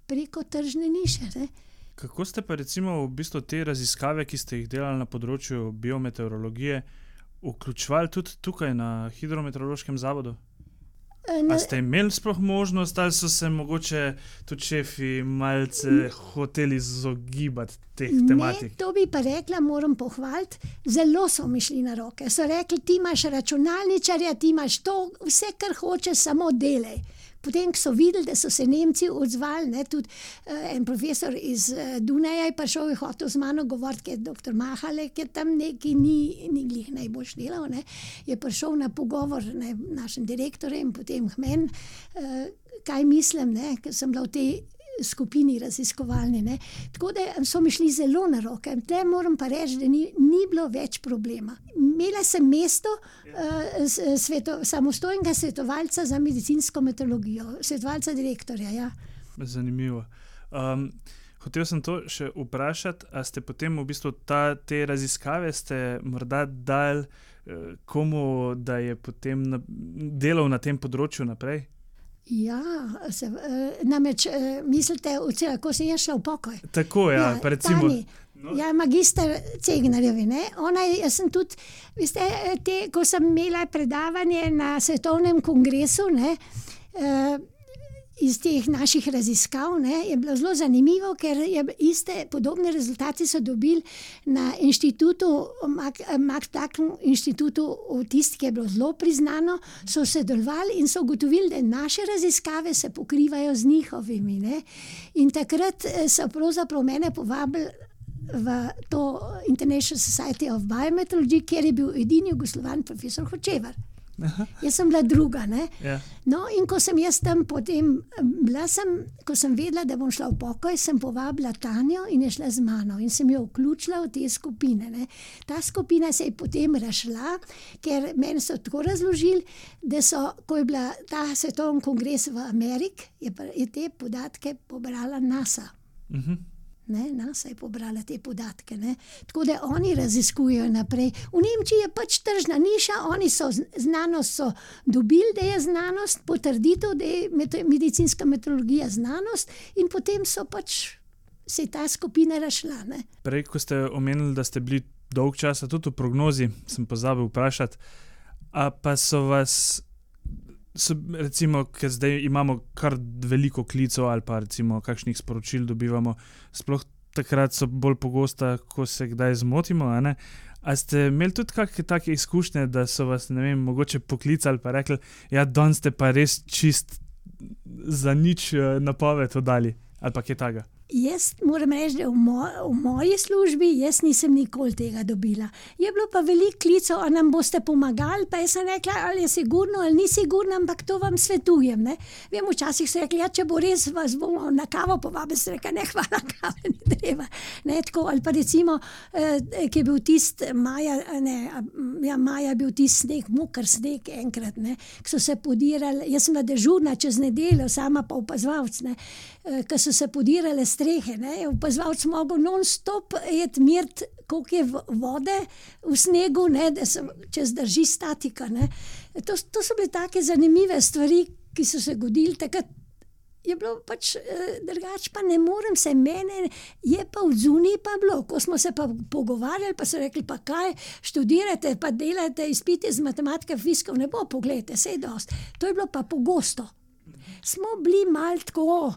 preko tržne niše, ne. Kako ste pa recimo v bistvu te raziskave, ki ste jih delali na področju biometeorologije, vključevali tudi tukaj na Hidrometeorološkem zavodu? A ste imeli sploh možnost, ali so se mogoče tudi šefi malce hoteli izogibati teh tematik? Ne, to bi pa rekla, moram pohvaliti, zelo so mi šli na roke. So rekli, ti imaš računalničarja, ti imaš to, vse, kar hočeš, samo delaj. potem, ko so videli, da so se Nemci odzvali, ne, tudi en profesor iz Dunaja je prišel in hotel z mano govoriti, ker je doktor Mahale, ki tam neki ni glih najboljš delal, ne, je prišel na pogovor našim direktorjem, potem k meni, kaj mislim, ne, ker sem bila v tej skupini raziskovalni. Ne. Tako da so mi šli zelo na roke. Tle moram pa reči, da ni bilo več problema. Imela sem mesto samostojnega svetovalca za medicinsko meteorologijo, svetovalca direktorja. Ja. Zanimivo. Hotel sem to še vprašati, a ste potem v bistvu te raziskave ste morda dali komu, da je potem delal na tem področju naprej? Ja, namreč mislite, ko sem jaz šla v pokoj. Tako, ja, pa recimo. Ja, magister Cegnarjevi, ne. Jaz sem tudi, veste, ko sem imela predavanje na svetovnem kongresu, ne, iz teh naših raziskav, ne, je bilo zelo zanimivo, ker podobne rezultate so dobili na inštitutu, Max Planck inštitutu ki je bilo zelo priznano, so sodelovali in so ugotovili, da naše raziskave se pokrivajo z njihovimi, ne. In takrat so pravzaprav mene povabili v to International Society of Biometeorology, kjer je bil edini Jugoslovan profesor Hočevar. Aha. Jaz sem bila druga, ne. Ja. No, in ko sem jaz tam potem ko sem vedela, da bom šla v pokoj, sem povabila Tanjo in je šla z mano in sem jo vključila v te skupine, ne. Ta skupina se je potem razšla, ker meni so tako razložili, da ko je bila ta svetovni kongres v Ameriki, je te podatke pobrala NASA. Ne, NASA je pobrala te podatke, ne. Tako da oni raziskujejo naprej. V Nemčiji je pač tržna niša, oni so znanost so dobili, da je znanost, potrditev, da je medicinska meteorologija znanost in potem so pač se je ta skupina razšla, ne. Prej, ko ste omenili, da ste bili dolg časa tudi v prognozi, sem pozabil vprašati, a pa so vas recimo, ker zdaj imamo kar veliko klicev ali pa recimo kakšnih sporočil dobivamo, sploh takrat so bolj pogosta, ko se kdaj zmotimo, a ne? A ste imeli tudi kakšne take izkušnje, da so vas, ne vem, mogoče poklicali pa rekli, ja, danes ste pa res čist za nič napoved oddali, ali pa kaj takega? Jaz moram reči, da v moji službi jaz nisem nikoli tega dobila. Je bilo pa veliko klicev, a nam boste pomagali, pa jaz sem rekla, ali je sigurno ali ni sigurno, ampak to vam svetujem, ne. Vem, včasih so rekli, ja, če bo res, vas bomo na kavo povabili, sem rekla, ne, hvala, kave ni treba. Ne, tako, ali pa recimo, ki je bil maja je bil sneg, moker sneg enkrat, ne, ki so se podirali, jaz sem bila dežurna čez nedeljo, sama pa opazovalec, ne, ki so se podirale strehe, ne, opazovalec mogel non-stop meriti, koliko je vode v snegu, ne, da se če zdrži statika, ne. To so bile take zanimive stvari, ki so se godili, takrat je bilo pač drugače, pa ne morem se mene, je pa v zuniji pa bilo, ko smo se pa pogovarjali, pa so rekli, pa kaj, študirate, pa delate izpite z matematike, fizikov, ne bo, pogledajte, saj dosti. To je bilo pa pogosto. Smo bili malo tako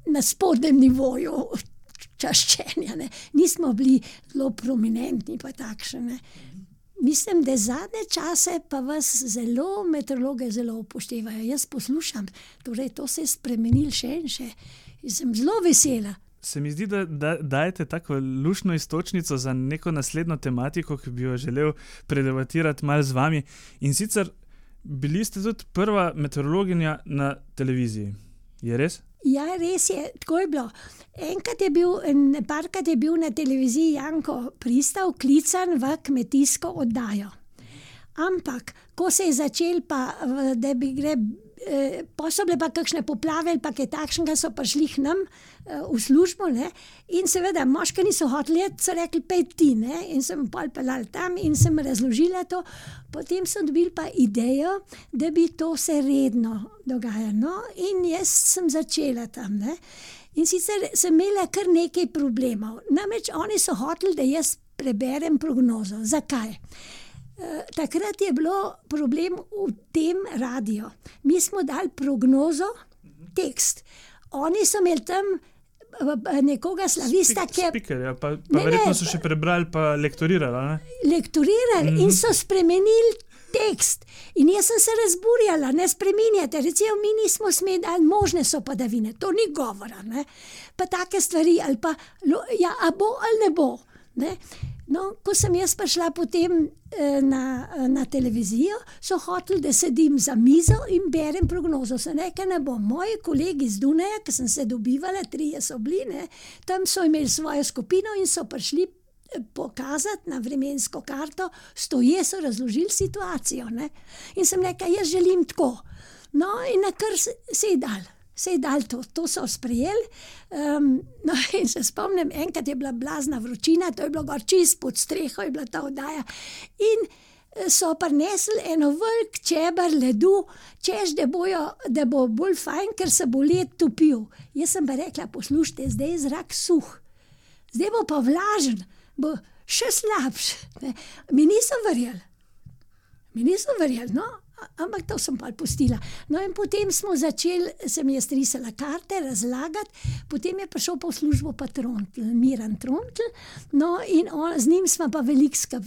na spodnjem nivoju čaščenja, ne. Nismo bili zelo prominentni pa takšne. Mislim, da zadnje čase pa vas meteorologe zelo upoštevajo. Jaz poslušam, torej to se je spremenilo še in še. Sem zelo vesela. Se mi zdi, da dajete tako luštno iztočnico za neko naslednjo tematiko, ki bi jo želel predebatirati malo z vami. In sicer bili ste tudi prva meteorologinja na televiziji. Je res? Ja, res je, tako je bilo. Parkrat je bil na televiziji Janko Pristav klican v kmetijsko oddajo. Ampak, ko se je začel pa, da bi pa so bile pa kakšne poplave ali pa kaj takšnega, so prišli k nam v službo, ne, in seveda moški niso hoteli, so rekli, pej ti, ne, in sem pol pelala tam in sem razložila to, potem sem dobila pa idejo, da bi to se redno dogajalo, no, in jaz sem začela tam, ne, in sicer sem imela kar nekaj problemov, namreč oni so hoteli, da jaz preberem prognozo. Zakaj? Takrat je bilo problem v tem radiju. Mi smo dali prognozo, tekst. Oni so imeli tam nekoga slavista, Speakerja, pa verjetno so še prebrali pa lektorirali, ne? Lektorirali in so spremenili tekst. In jaz sem se razburjala, ne spreminjate, recimo mi nismo smeli, ali možne so padavine, to ni govora, ne. Pa take stvari, ali pa, ja, a bo ali ne bo, ne. No, ko sem jaz prišla potem na televizijo, so hoteli, da sedim za mizo in berem prognozo. Sem rekla, ne bom. Moji kolegi z Dunaja, ki sem se dobivala, 3 so bili, ne, tam so imeli svojo skupino in so prišli pokazati na vremensko karto, stoje so razložili situacijo. Ne. In sem rekla, jaz želim tako. No, in na kar se je dal to so sprejeli. No, in se spomnim, enkrat je bila blazna vročina, to je bilo gor čist pod streho, je bila ta oddaja. In so prinesli eno velik čeber ledu, češ, da bo bolj fajn, ker se bo led topil. Jaz sem pa rekla, poslušajte, zdaj je zrak suh, zdaj bo pa vlažen, bo še slabše. Mi niso verjeli, no. Ampak to sem pa pustila. No in potem sem jaz risala karte, razlagati, potem je prišel pa v službo pa Miran Trontelj, no in z njim smo pa veliko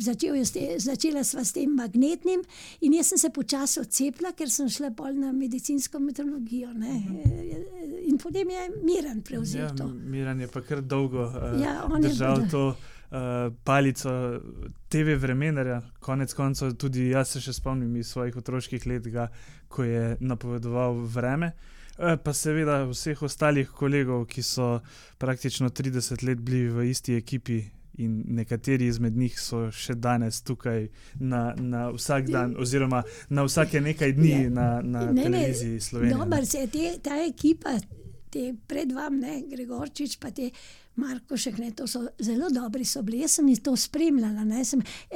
začela sva s tem magnetnim in jaz sem se počasi odcepila, ker sem šla pol na medicinsko meteorologijo, ne. In potem je Miran prevzel to. Miran je pa kar dolgo držal to palico TV vremenarja, konec koncev tudi jaz se še spomnim iz svojih otroških let, ko je napovedoval vreme, pa seveda vseh ostalih kolegov, ki so praktično 30 let bili v isti ekipi in nekateri izmed njih so še danes tukaj na vsak dan oziroma na vsake nekaj dni na televiziji Slovenije. Dobar se je ta ekipa, te pred vam, ne, Gregorčič, pa te Markošek, ne, to so zelo dobri so bili, jaz sem jih to spremljala, ne,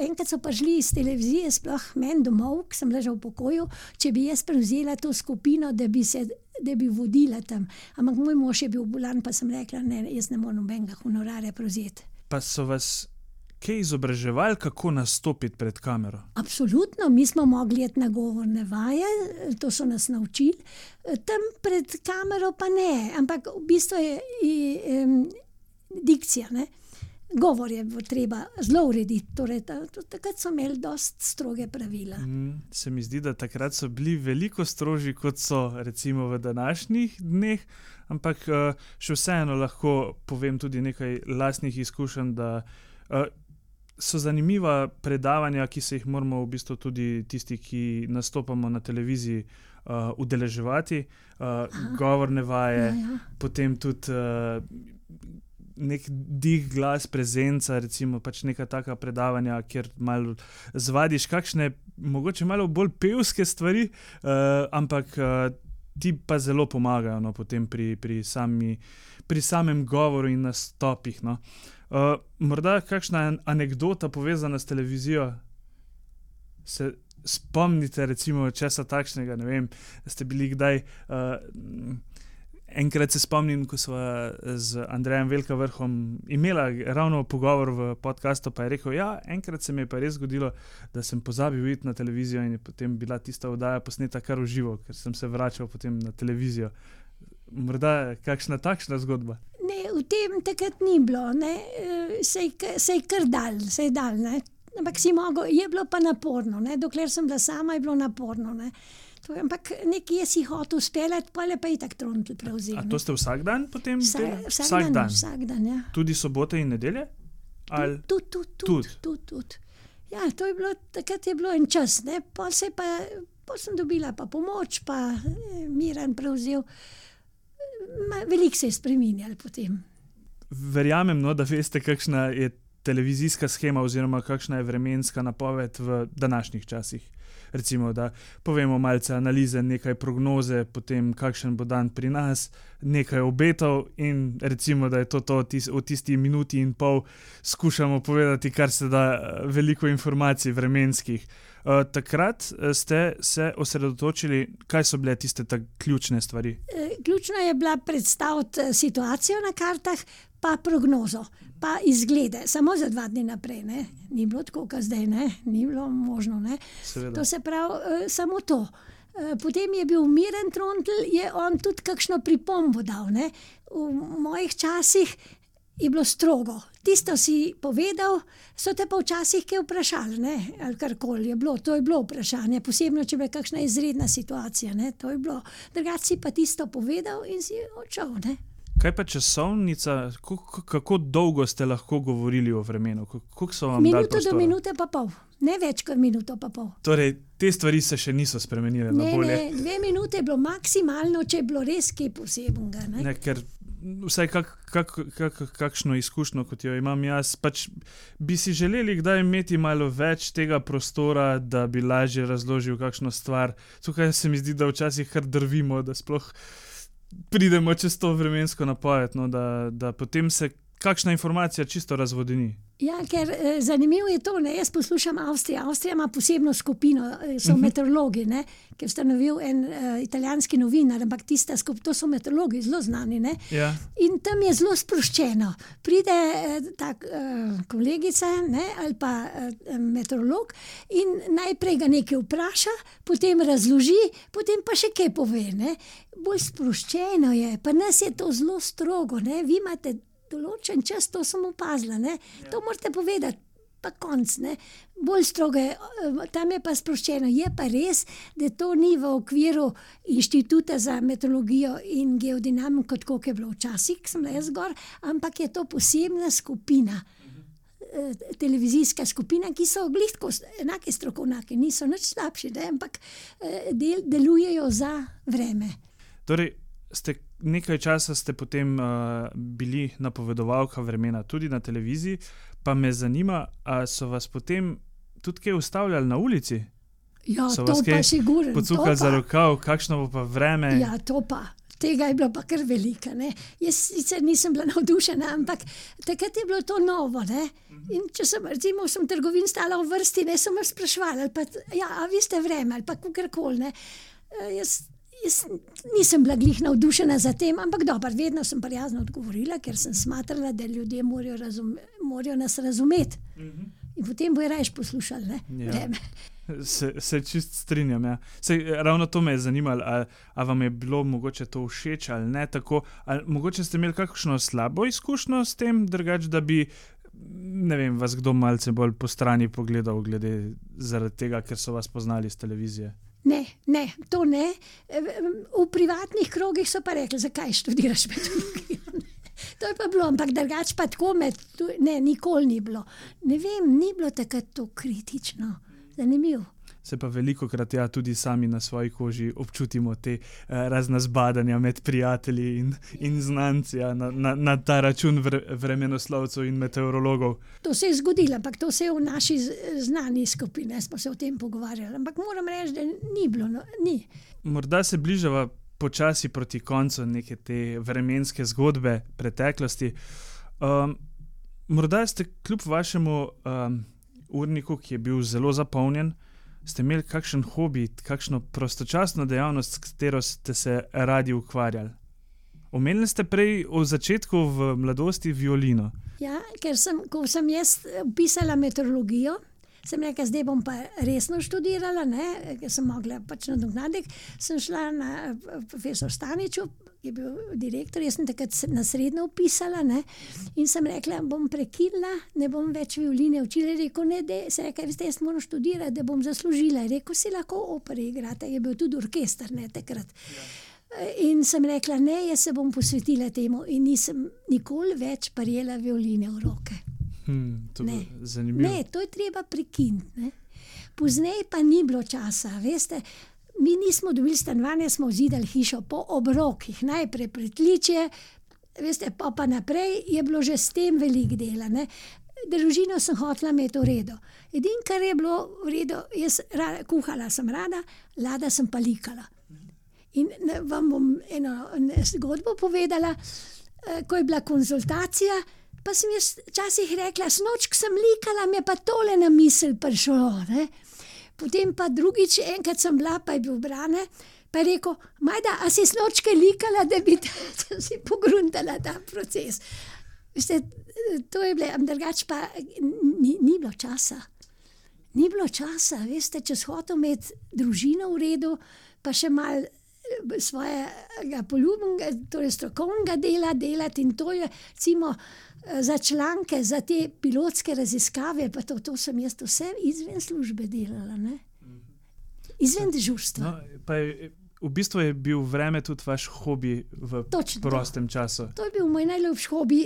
enkrat so prišli iz televizije, sploh meni domov, ki sem ležal v pokoju, če bi jaz prevzela to skupino, da bi vodila tam, ampak moj mož je bil bolan, pa sem rekla, ne, jaz ne morem nobenega honorarja prevzeti. Pa so vas kaj izobraževali, kako nastopiti pred kamero? Absolutno, mi smo mogli iti na govorne vaje, to so nas naučili, tam pred kamero pa ne, ampak v bistvu je dikcija, ne. Govor je treba zelo urediti, torej takrat so imeli dosti stroge pravila. Se mi zdi, da takrat so bili veliko strožji, kot so recimo v današnjih dneh, ampak še vseeno lahko povem tudi nekaj lastnih izkušenj, da so zanimiva predavanja, ki se jih moramo v bistvu tudi tisti, ki nastopamo na televiziji, udeleževati, govorne vaje, potem tudi nek dih, glas, prezenca, recimo pač neka taka predavanja, kjer malo zvadiš kakšne, mogoče malo bolj pevske stvari, ampak ti pa zelo pomagajo, no, potem pri samem govoru in nastopih, no. Morda kakšna anekdota povezana s televizijo? Se spomnite recimo česa takšnega, ne vem, ste bili kdaj... Enkrat se spomnim, ko sva z Andrejem Velkavrhom imela ravno pogovor v podcastu, pa je rekel, ja, enkrat se mi je pa res zgodilo, da sem pozabil iti na televizijo in je potem bila tista oddaja posneta kar v živo, ker sem se vračal potem na televizijo. Morda kakšna takšna zgodba? Ne, v tem takrat ni bilo, ne, se je kar dal, ne, ampak je bilo pa naporno, ne, dokler sem bila sama, je bilo naporno, ne. Ampak nekje si hotel speljati, pa je itak Trontelj prevzel. A to ste vsak dan potem? Vsak dan, ja. Tudi sobote in nedelje? Tudi. Ja, to je bilo, takrat je bilo en čas, ne, pol sem dobila pa pomoč, pa Miran prevzel. Veliko se je spreminjalo potem. Verjamem, no, da veste, kakšna je televizijska shema oziroma kakšna je vremenska napoved v današnjih časih. Recimo, da povemo malce analize, nekaj prognoze, potem kakšen bo dan pri nas, nekaj obetov in recimo, da je to v tisti minuti in pol skušamo povedati, kar se da veliko informacij vremenskih. Takrat ste se osredotočili, kaj so bile tiste ključne stvari? Ključno je bila predstaviti situacijo na kartah, pa prognozo, pa izglede, samo za 2 dni naprej, ne. Ni bilo tako, kot zdaj, ne, ni bilo možno, ne. Seveda. To se pravi, samo to. Potem je bil Miran Trontelj, je on tudi kakšno pripombo dal, ne. V mojih časih je bilo strogo. Tisto si povedal, so te pa včasih kaj vprašali, ne? Ali karkoli je bilo. To je bilo vprašanje, posebno, če je kakšna izredna situacija. Ne? To je bilo. Drugače si pa tisto povedal in si odšel. Ne? Kaj pa časovnica, kako dolgo ste lahko govorili o vremenu? Koliko so vam dali Minuto prostora? do minute pa pol. Ne več kot minuto pa pol. Torej, te stvari se še niso spremenile na bolje. Ne, 2 minute je bilo maksimalno, če je bilo res kaj posebnega. Ne, ker vsaj kakšno izkušnjo, kot jo imam jaz, pač bi si želeli kdaj imeti malo več tega prostora, da bi lažje razložil kakšno stvar. Tukaj se mi zdi, da včasih kar drvimo, da sploh pridemo čez to vremensko napoved, no, da potem se kakšna informacija čisto razvodeni. Ja, ker zanimivo je to, ne? Jaz poslušam Avstrijo. Avstrija ima posebno skupino, so meteorologi, ne? Ki je ustanovil en italijanski novinar, ampak to so meteorologi, zelo znani. Ne? Ja. In tam je zelo sproščeno. Pride ta kolegica, ne? Ali pa meteorolog in najprej ga nekaj vpraša, potem razloži, potem pa še kaj pove. Ne? Bolj sproščeno je, pa nas je to zelo strogo. Ne? Vi imate določen čas, to sem opazila, ne? To morate povedati, pa konc, ne? Bolj strogo je, tam je pa sproščeno. Je pa res, da to ni v okviru Inštituta za meteorologijo in geodinamiko, kot je bilo včasih, sem bila jaz gor, ampak je to posebna skupina, televizijska skupina, ki so glihko enake strokovnjaki, niso nič slabši, ne? Ampak delujejo za vreme. Torej, nekaj časa ste potem bili napovedovalka vremena tudi na televiziji, pa me zanima, a so vas potem tudi kaj ustavljali na ulici? Ja, so to pa sigurno. Pocukali za rokav, kakšno bo pa vreme? Ja, to pa. Tega je bilo pa kar velika. Ne? Jaz sicer nisem bila navdušena, ampak takrat je bilo to novo. Ne? In če sem, recimo, v trgovini stala v vrsti, ne, sem vas sprašvala, a vi ste vreme, ali pa kakorkoli. Jaz nisem bila glih navdušena za tem, ampak dobro, vedno sem prijazno odgovorila, ker sem smatrala, da ljudje morajo nas razumeti. In potem bojo rajš poslušali. Ne? Ja. Se čist strinjam. Ja. Ravno to me je zanimalo, a vam je bilo mogoče to všeč ali ne tako, ali mogoče ste imeli kakšno slabo izkušnjo s tem, drugače, da bi, ne vem, vas kdo malce bolj po strani pogledal glede zaradi tega, ker so vas poznali z televizije. Ne, to ne. V privatnih krogih so pa rekli, zakaj študiraš meteorologijo. To je pa bilo, ampak drugače pa tako nikoli ni bilo. Ne vem, ni bilo takrat to kritično. Zanimivo. Se pa velikokrat tudi sami na svoji koži občutimo te razna zbadanja med prijatelji in znanci na ta račun vremenoslovcev in meteorologov. To se je zgodilo, ampak to se je v naši znani skupini, smo se o tem pogovarjali, ampak moram reči, da ni bilo. Ni. Morda se bližava počasi proti koncu neke te vremenske zgodbe preteklosti. Morda ste kljub vašemu urniku, ki je bil zelo zapolnjen, ste imeli kakšen hobi, kakšno prostočasno dejavnost, s katero ste se radi ukvarjali? Omenili ste prej v začetku v mladosti violino. Ja, ker ko sem jaz pisala meteorologijo, sem rekla, zdaj bom pa resno študirala, ne, ker sem mogla pač nadoknaditi. Sem šla na profesor Staniču, ki je bil direktor, jaz sem takrat na srednjo vpisala, ne, in sem rekla, bom prekinila, ne bom več violine učila. Rekel, ne, sem rekla, veste, jaz moram študirati, da bom zaslužila. Rekel, si lahko opere igrate, je bil tudi orkester, ne, takrat. Ja. In sem rekla, ne, jaz se bom posvetila temu in nisem nikoli več prijela violine v roke. To je zanimivo. Ne, to je treba prekiniti. Pozneje pa ni bilo časa, veste, mi nismo dobili stanovanja, smo zidali hišo po obrokih, najprej pritličje, veste, pa naprej je bilo že s tem veliko dela. Ne. Družino sem hotela imeti v redu. Edino, kar je bilo v redu, jaz kuhala sem rada, lada sem pa likala. In vam bom eno zgodbo povedala, ko je bila konzultacija, pa sem jaz včasih rekla, snočk sem likala, mi je pa tole na misel prišlo. Ne? Potem pa drugič, enkrat sem bila, pa je bil Brane, pa je rekel, Majda, a si snočke likala, da bi si pogruntala ta proces. Veste, to je bilo, drugač pa ni bilo časa. Ni bilo časa, veste, če si hotel imeti družino v redu, pa še malo svojega poljubenega, torej strokovnega dela delati in to je, recimo, za članke, za te pilotske raziskave, pa to sem jaz vse izven službe delala, ne? Izven dežurstva. No, pa v bistvu je bil vreme tudi vaš hobi v prostem času. To je bil moj najljubši hobi,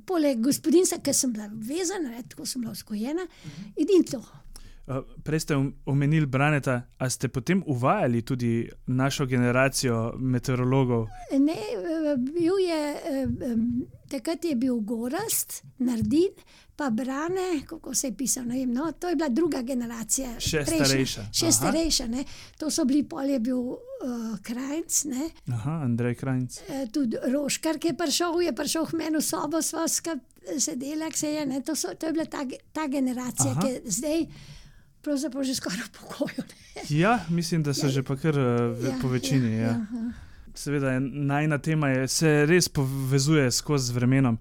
poleg gospodinjstva, ker sem bila vezana, tako sem bila vzgojena, in to. Prej ste omenili Braneta, a ste potem uvajali tudi našo generacijo meteorologov? Ne, takrat je bil Gorazd, Nardin, pa Brane, kako se je pisal, ne vem, no, to je bila druga generacija. Še starejša. Še starejša, ne. To so bili, pol je bil Krajnc, ne. Aha, Andrej Krajnc. Tudi Roškar, ki je prišel k meni v sobo, sva sedela, ne, to je bila ta generacija, ki je zdaj pravzaprav že skoraj v pokoju. Ja, mislim, da so že pa kar po večini. Ja. Seveda, najina tema se res povezuje skozi vremenom.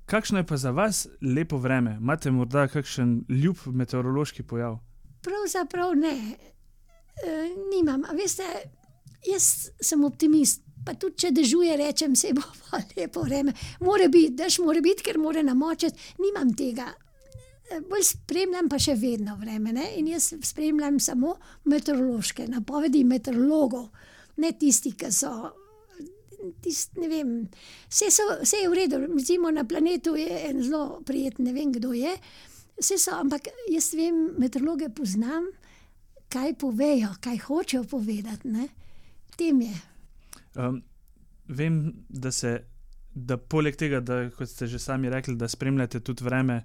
Kakšno je pa za vas lepo vreme? Imate morda kakšen ljub meteorološki pojav? Pravzaprav ne. Nimam. A veste, jaz sem optimist. Pa tudi, če dežuje, rečem, se bo pa lepo vreme. Mora biti, dež mora biti, ker mora namočiti. Nimam tega. Bolj spremljam pa še vedno vreme, ne? In jaz spremljam samo meteorološke napovedi meteorologov, ne tisti, ki so, ne vem, vse je v redu, recimo na planetu je en zelo prijeten, ne vem, kdo je, vse so, ampak jaz vem, meteorologe poznam, kaj povejo, kaj hočejo povedati, ne? Tem je. Vem, da poleg tega, da, kot ste že sami rekli, da spremljate tudi vreme,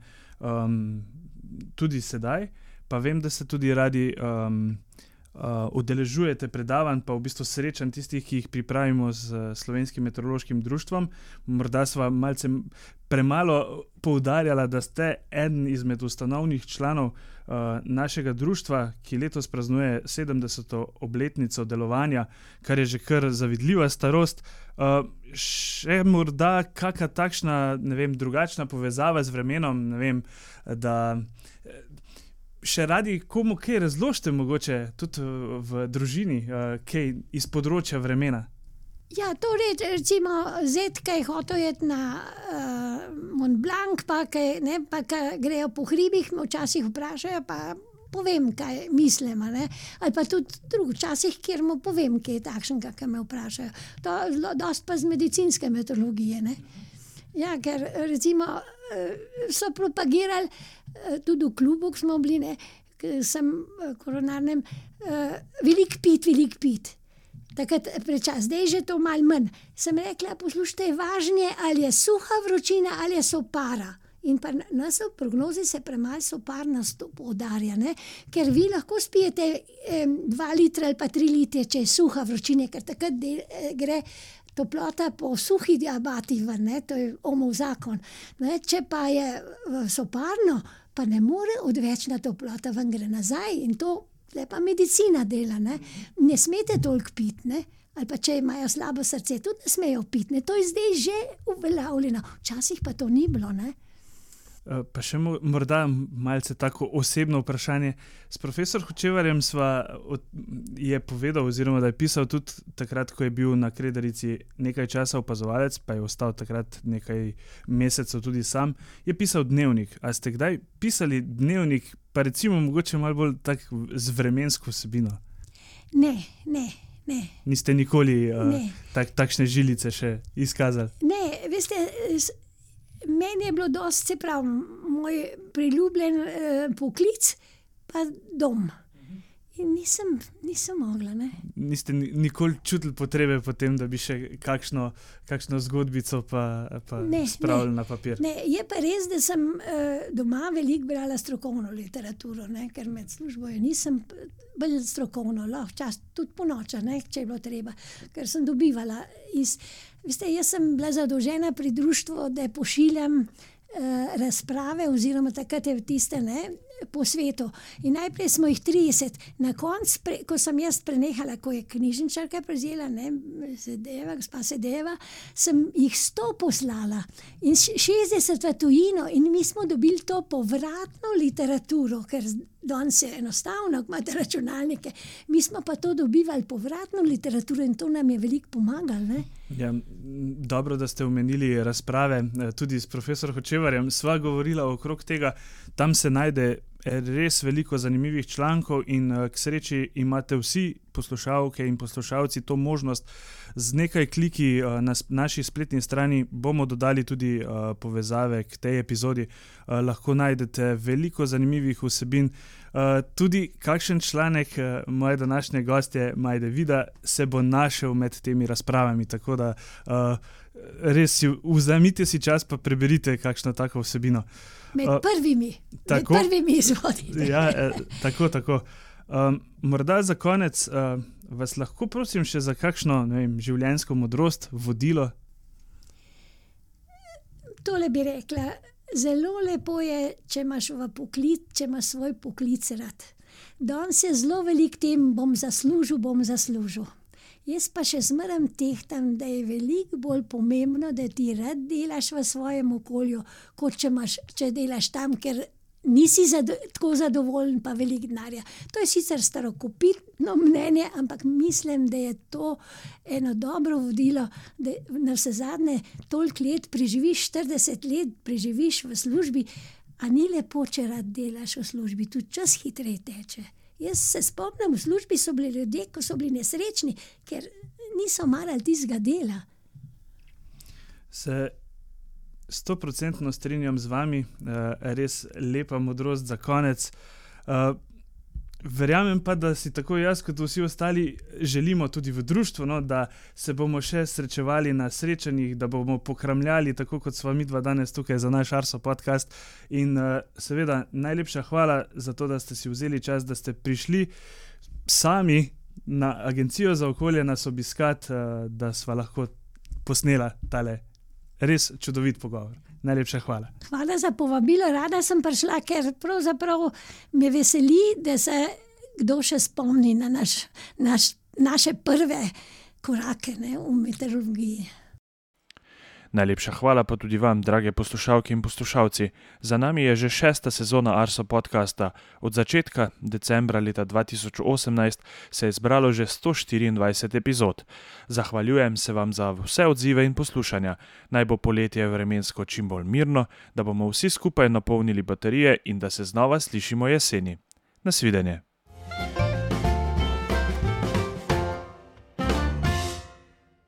tudi sedaj, pa vem, da se tudi radi udeležujete predavanj, pa v bistvu srečanj tistih, ki jih pripravimo z Slovenskim meteorološkim društvom. Morda sva malce premalo poudarjala, da ste eden izmed ustanovnih članov našega društva, ki letos praznuje 70. obletnico delovanja, kar je že kar zavidljiva starost. Še morda kakšna takšna, ne vem, drugačna povezava z vremenom, ne vem, da še radi komu kaj razložite mogoče tudi v družini, kaj iz področja vremena? Ja, to recimo zet, kaj hotel jeti na Mont Blanc, pa kaj grejo po hribih, me včasih vprašajo, pa povem, kaj mislim, ne. Ali pa tudi včasih, kjer mu povem, kaj je takšnega, kaj me vprašajo. To dosti pa z medicinske meteorologije, ne. Ja, ker recimo so propagirali, tudi v klubu, ko smo bili, ne, sem koronarnem, veliko pit. Takrat prečas, zdaj je to malo manj. Sem rekla, poslušajte, važnje, ali je suha vročina, ali je sopara. In pa nas v prognozi se premalo soparnost poudarja, ne? Ker vi lahko spijete 2 litra ali pa 3 litre, če je suha vročina, ker takrat gre toplota po suhi diabati ven, ne? To je Ohmov zakon. Ne? Če pa je soparno, pa ne more odvečna toplota ven, gre nazaj in to pa medicina dela, ne? Ne smete toliko piti, ne? Ali pa če imajo slabo srce, tudi ne smejo piti, ne? To je zdaj že uveljavljeno. Včasih pa to ni bilo, ne? Pa še morda malce tako osebno vprašanje. S profesor Hočevarjem je povedal, oziroma da je pisal tudi takrat, ko je bil na Kredarici nekaj časa opazovalec, pa je ostal takrat nekaj mesecev tudi sam, je pisal dnevnik. A ste kdaj pisali dnevnik, pa recimo mogoče malo bolj tak z vremensko vsebino? Ne. Niste nikoli takšne žilice še izkazali? Ne, veste, meni je bilo dosti, se pravi, moj priljubljen poklic, pa dom. In nisem mogla, ne. Niste nikoli čutili potrebe potem, da bi še kakšno zgodbico pa spravili na papir? Ne, je pa res, da sem doma veliko brala strokovno literaturo, ne, ker med službo nisem bolj strokovno, včasih tudi po noča, ne, če je bilo treba, ker sem dobivala Veste, jaz sem bila zadolžena pri društvu, da pošiljam razprave, oziroma takrat je tiste, ne, po svetu. In najprej smo jih 30. Na koncu, ko sem jaz prenehala, ko je knjižničarka prevzela, gospa Sedeva, sem jih 100 poslala in 60 v tujino in mi smo dobili to povratno literaturo, ker danes je enostavno, ko imate računalnike. Mi smo pa to dobivali povratno literaturo in to nam je veliko pomagalo, ne? Ja, dobro, da ste omenili razprave, tudi s profesorom Hočevarjem sva govorila okrog tega, tam se najde res veliko zanimivih člankov in k sreči imate vsi poslušalke in poslušalci to možnost. Z nekaj kliki na naši spletni strani bomo dodali tudi povezave k tej epizodi. Lahko najdete veliko zanimivih vsebin. Tudi kakšen članek moje današnje gostje Majde Vida se bo našel med temi razpravami, tako da res vzemite si čas pa preberite kakšno tako vsebino. Med prvimi izvodite. Ja, tako. Morda za konec vas lahko prosim še za kakšno, življenjsko modrost, vodilo? Tole bi rekla, zelo lepo je, če imaš svoj poklic rad. Danes je zelo veliko tem, bom zaslužil. Jaz pa še zmeraj tehtam, da je veliko bolj pomembno, da ti rad delaš v svojem okolju, kot če delaš tam, ker nisi tako zadovoljen pa veliko denarja. To je sicer starokopitno mnenje, ampak mislim, da je to eno dobro vodilo, da navsezadnje toliko let preživiš, 40 let preživiš v službi, a ni lepo, če rad delaš v službi, tudi čas hitreje teče. Jaz se spomnim, v službi so bili ljudje, ko so bili nesrečni, ker niso marali tistega dela. Se 100% strinjam z vami, res lepa modrost za konec. Verjamem pa, da si tako jaz kot vsi ostali želimo tudi v društvu, da se bomo še srečevali na srečanjih, da bomo pokramljali, tako kot sva midva danes tukaj za naš Arso podcast. In seveda najlepša hvala za to, da ste si vzeli čas, da ste prišli sami na Agencijo za okolje nas obiskati, da sva lahko posnela tale res čudovit pogovor. Najlepša hvala. Hvala za povabilo, rada sem prišla, ker pravzaprav me veseli, da se kdo še spomni na naše prve korake, v meteorologiji. Najlepša hvala pa tudi vam, drage poslušalke in poslušalci. Za nami je že 6. sezona Arso podcasta. Od začetka decembra leta 2018 se je zbralo že 124 epizod. Zahvaljujem se vam za vse odzive in poslušanja. Naj bo poletje vremensko čim bolj mirno, da bomo vsi skupaj napolnili baterije in da se znova slišimo jeseni. Nasvidenje.